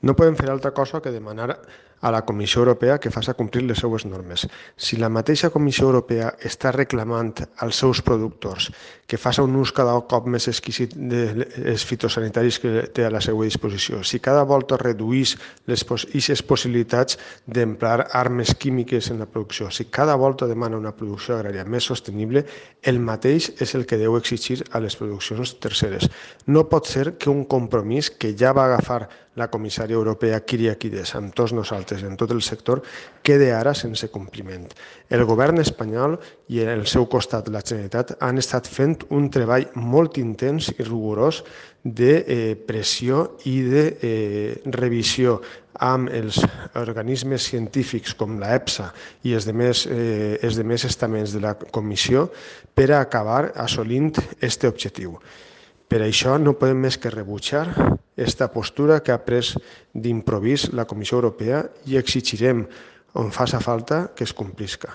No podem fer altra cosa que demanar a la Comissió Europea que faci complir les seues normes. Si la mateixa Comissió Europea està reclamant als seus productors que faci un ús cada cop més exquisit dels fitosanitaris que té a la seva disposició, si cada volta reduís aquestes possibilitats d'emprar armes químiques en la producció, si cada volta demana una producció agrària més sostenible, el mateix és el que deu exigir a les produccions terceres. No pot ser que un compromís que ja va agafar la comissària europea Kyriakides amb tots nosaltres en tot el sector quede ara sense compliment. El govern espanyol i al seu costat la Generalitat han estat fent un treball molt intens i rigorós de pressió i de revisió amb els organismes científics com la EFSA i els demés estaments de la comissió per a acabar assolint aquest objectiu. Per això no podem més que rebutjar aquesta postura que ha pres d'improvís la Comissió Europea i exigirem, on faci falta, que es complisca.